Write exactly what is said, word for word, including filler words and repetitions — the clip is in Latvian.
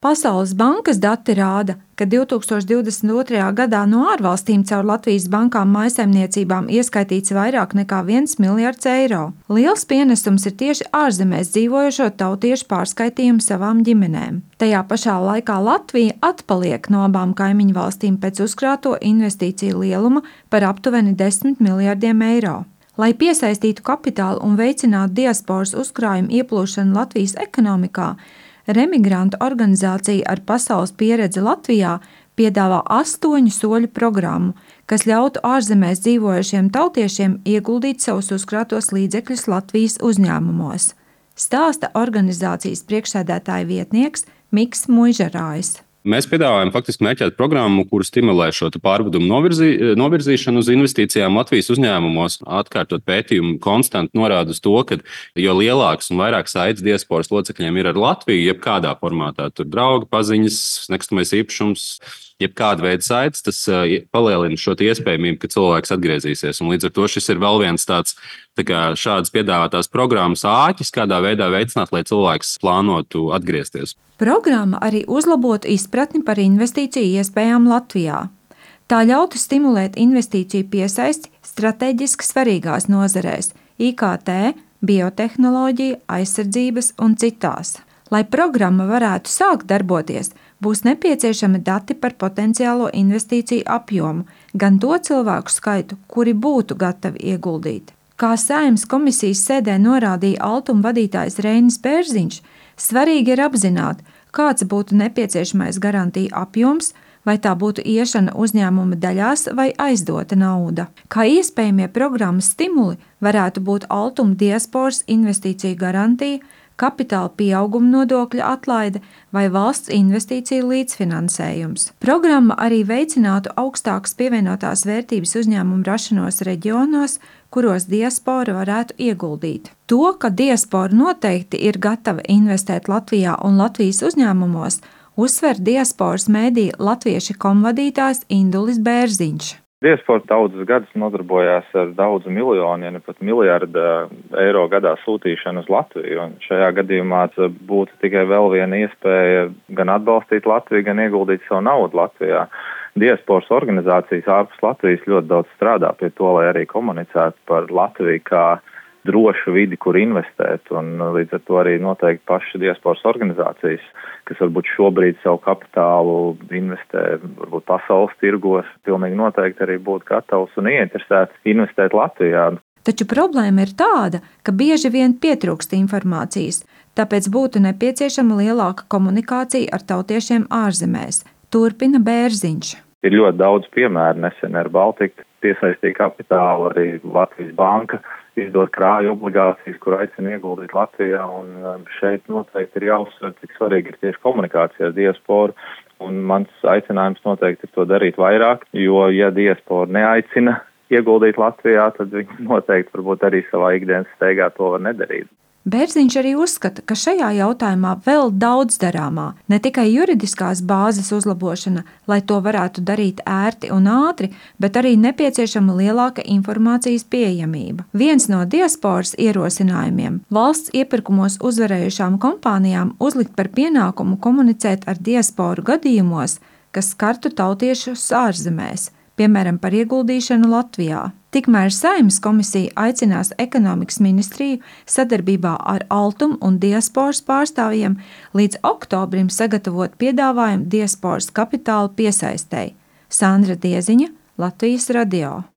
Pasaules bankas dati rāda, ka divi tūkstoši divdesmit otrajā gadā no ārvalstīm caur Latvijas bankām mājsaimniecībām ieskaitīts vairāk nekā viens miljards eiro. Liels pienesums ir tieši ārzemēs dzīvojošo tautiešu pārskaitījumi savām ģimenēm. Tajā pašā laikā Latvija atpaliek no abām kaimiņu valstīm pēc uzkrāto investīciju lieluma par aptuveni desmit miljardiem eiro. Lai piesaistītu kapitālu un veicinātu diasporas uzkrājumu ieplūšanu Latvijas ekonomikā, Remigrantu organizācija ar pasaules pieredzi Latvijā piedāvā astoņu soļu programmu, kas ļautu ārzemēs dzīvojošiem tautiešiem ieguldīt savus uzkrātos līdzekļus Latvijas uzņēmumos. Stāsta organizācijas priekšsēdētāja vietnieks Miks Muižarājs. Mēs piedāvājam faktiski mērķētu programmu, kuru stimulē šo pārvedumu novirzī, novirzīšanu uz investīcijām Latvijas uzņēmumos. Atkārtot pētījumu konstanti norāda uz to, ka jo lielāks un vairāk saites diasporas locekļiem ir ar Latviju, jebkādā formātā, tur draugi, paziņas, nekustamais īpašums, jebkāda veida saites, tas palielina šo iespējamību, ka cilvēks atgriezīsies. Un līdz ar to šis ir vēl viens tāds tā kā šādas piedāvātās programmas āķis, kādā veidā veicināt, lai cilvēks plānotu atgriezties. Programma arī uzlabotu izpratni par investīciju iespējām Latvijā. Tā ļautu stimulēt investīciju piesaisti strateģiski svarīgās nozarēs – I K T, biotehnoloģija, aizsardzības un citās. Lai programma varētu sākt darboties, būs nepieciešami dati par potenciālo investīciju apjomu, gan to cilvēku skaitu, kuri būtu gatavi ieguldīt. Kā Saeimas komisijas sēdē norādīja Altuma vadītājs Reinis Bērziņš, svarīgi ir apzināt, kāds būtu nepieciešamais garantija apjoms, vai tā būtu iešana uzņēmuma daļās vai aizdota nauda. Kā iespējamie programmas stimuli varētu būt Altuma diasporas investīciju garantija, kapitāla pieauguma nodokļa atlaide vai valsts investīciju līdzfinansējums. Programma arī veicinātu augstākas pievienotās vērtības uzņēmumu rašanos reģionos, kuros diaspora varētu ieguldīt. To, ka diaspora noteikti ir gatava investēt Latvijā un Latvijas uzņēmumos, uzsver diasporas mēdī latvieši komvadītājs Indulis Bērziņš. Diaspora daudzus gadus nodarbojās ar daudzu miljonu, ja ne pat miljardu eiro gadā sūtīšanu uz Latviju. Un šajā gadījumā būtu tikai vēl viena iespēja gan atbalstīt Latviju, gan ieguldīt savu naudu Latvijā. Diasporas organizācijas ārpus Latvijas ļoti daudz strādā pie to, lai arī komunicētu par Latviju kā drošu vidi, kur investēt, un līdz ar to arī noteikti paši diasporas organizācijas, kas varbūt šobrīd savu kapitālu investē, varbūt pasaules tirgos, pilnīgi noteikti arī būtu gatavs un ieinteresēts investēt Latvijā. Taču problēma ir tāda, ka bieži vien pietrūkst informācijas, tāpēc būtu nepieciešama lielāka komunikācija ar tautiešiem ārzemēs, turpina Bērziņš. Ir ļoti daudz piemēru, nesen ar Baltiku piesaistīja kapitālu, arī Latvijas banka izdod krāju obligācijas, kur aicina ieguldīt Latvijā, un šeit noteikti ir jāuzsver, cik svarīgi ir tieši komunikācija ar diasporu, un mans aicinājums noteikti ir to darīt vairāk, jo ja diaspora neaicina ieguldīt Latvijā, tad viņi noteikti varbūt arī savā ikdienas steigā to var nedarīt. Bērziņš arī uzskata, ka šajā jautājumā vēl daudz darāmā, ne tikai juridiskās bāzes uzlabošana, lai to varētu darīt ērti un ātri, bet arī nepieciešama lielāka informācijas pieejamība. Viens no diasporas ierosinājumiem – valsts iepirkumos uzvarējušām kompānijām uzlikt par pienākumu komunicēt ar diasporu gadījumos, kas skartu tautiešus ārzemēs, piemēram, par ieguldīšanu Latvijā. Tikmēr Saeimas komisija aicinās ekonomikas ministriju sadarbībā ar Altuma un diasporas pārstāvjiem līdz oktobrim sagatavot piedāvājumu diasporas kapitāla piesaistei. Sandra Dieziņa, Latvijas radio.